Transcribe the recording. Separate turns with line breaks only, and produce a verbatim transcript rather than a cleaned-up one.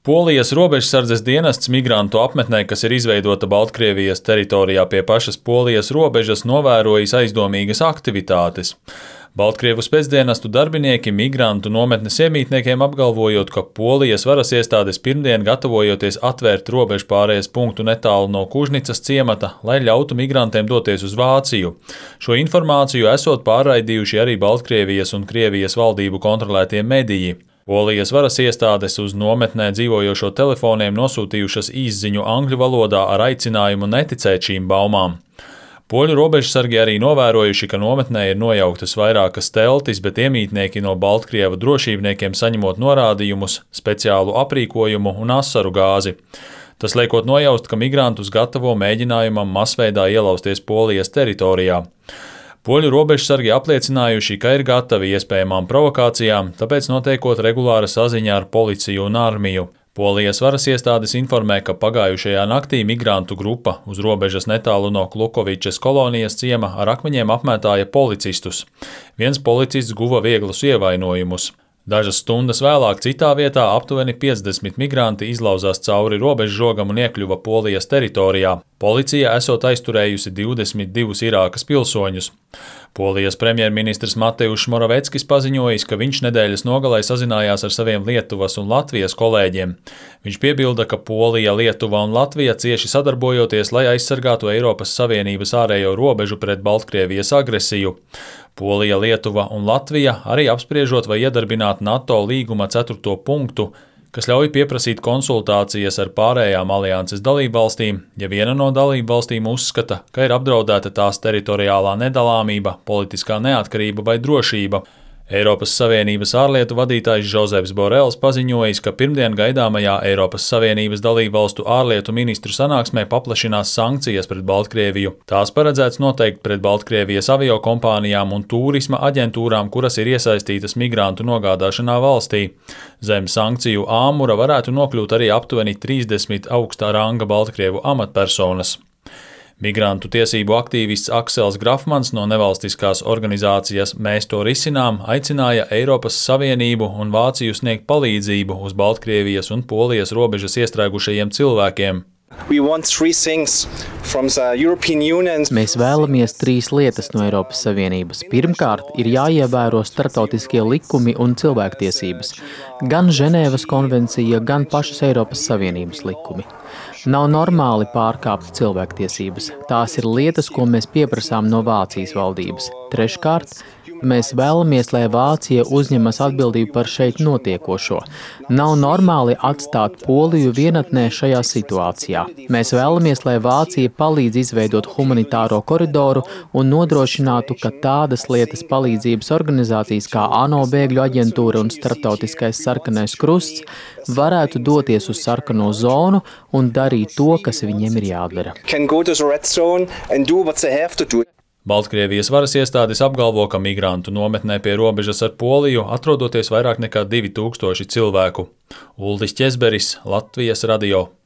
Polijas robežsardzes dienests migrantu apmetnē, kas ir izveidota Baltkrievijas teritorijā pie pašas Polijas robežas, novērojis aizdomīgas aktivitātes. Baltkrievu spēcdienestu darbinieki migrantu nometnes iemītniekiem apgalvojot, ka Polijas varas iestādes pirmdien gatavojoties atvērt robežu pārējas punktu netālu no Kužnicas ciemata, lai ļautu migrantiem doties uz Vāciju. Šo informāciju esot pārraidījuši arī Baltkrievijas un Krievijas valdību kontrolētie mediji. Polijas varas iestādes uz nometnē dzīvojošo telefoniem nosūtījušas īsziņu angļu valodā ar aicinājumu neticēt šīm baumām. Poļu robežsargi arī novērojuši, ka nometnē ir nojauktas vairākas teltis, bet iemītnieki no Baltkrievu drošībniekiem saņemot norādījumus, speciālu aprīkojumu un asaru gāzi. Tas liekot nojaust, ka migrantus gatavo mēģinājumam masveidā ielausties Polijas teritorijā. Poļu robežsargi apliecinājuši, ka ir gatavi iespējamām provokācijām, tāpēc notiekot regulāra saziņa ar policiju un armiju. Polijas varas iestādes informē, ka pagājušajā naktī migrantu grupa uz robežas netālu no Klukovičas kolonijas ciema ar akmeņiem apmētāja policistus. Viens policists guva vieglus ievainojumus. Dažas stundas vēlāk citā vietā aptuveni piecdesmit migranti izlauzās cauri robežžogam un iekļuva Polijas teritorijā. Policija esot aizturējusi divdesmit divus Irākas pilsoņus. Polijas premjerministrs Mateušs Moraveckis paziņojis, ka viņš nedēļas nogalē sazinājās ar saviem Lietuvas un Latvijas kolēģiem. Viņš piebilda, ka Polija, Lietuva un Latvija cieši sadarbojoties, lai aizsargātu Eiropas Savienības ārējo robežu pret Baltkrievijas agresiju. Polija, Lietuva un Latvija arī apspriežot vai iedarbināt NATO līguma ceturto punktu, kas ļauj pieprasīt konsultācijas ar pārējām alianses dalībvalstīm, ja viena no dalībvalstīm uzskata, ka ir apdraudēta tās teritoriālā nedalāmība, politiskā neatkarība vai drošība. Eiropas Savienības ārlietu vadītājs Žozefs Borels paziņojis, ka pirmdien gaidāmajā Eiropas Savienības dalībvalstu ārlietu ministru sanāksmē paplašinās sankcijas pret Baltkrieviju. Tās paredzēts noteikt pret Baltkrievijas aviokompānijām un tūrisma aģentūrām, kuras ir iesaistītas migrantu nogādāšanā valstī. Zem sankciju āmura varētu nokļūt arī aptuveni trīsdesmit augstā ranga Baltkrievu amatpersonas. Migrantu tiesību aktīvists Aksels Grafmans no nevalstiskās organizācijas Mēs to risinām aicināja Eiropas Savienību un Vāciju sniegt palīdzību uz Baltkrievijas un Polijas robežas iestrēgušajiem cilvēkiem.
Mēs vēlamies trīs lietas no Eiropas Savienības. Pirmkārt, ir jāievēro starptautiskie likumi un cilvēktiesības, gan Ženēvas konvencija, gan pašas Eiropas Savienības likumi. Nav normāli pārkāpt cilvēktiesības. Tās ir lietas, ko mēs pieprasām no Vācijas valdības. Treškārt, mēs vēlamies, lai Vācija uzņemas atbildību par šeit notiekošo. Nav normāli atstāt Poliju vienatnē šajā situācijā. Mēs vēlamies, lai Vācija palīdz izveidot humanitāro koridoru un nodrošinātu, ka tādas lietas palīdzības organizācijas kā ANO bēgļu aģentūra un Starptautiskais sarkanais krusts varētu doties uz sarkano zonu un darīt to, kas viņiem ir jādara.
Baltkrievijas varas iestādes apgalvo, ka migrantu nometnē pie robežas ar Poliju atrodoties vairāk nekā divi tūkstoši cilvēku. Uldis Ķezberis, Latvijas radio.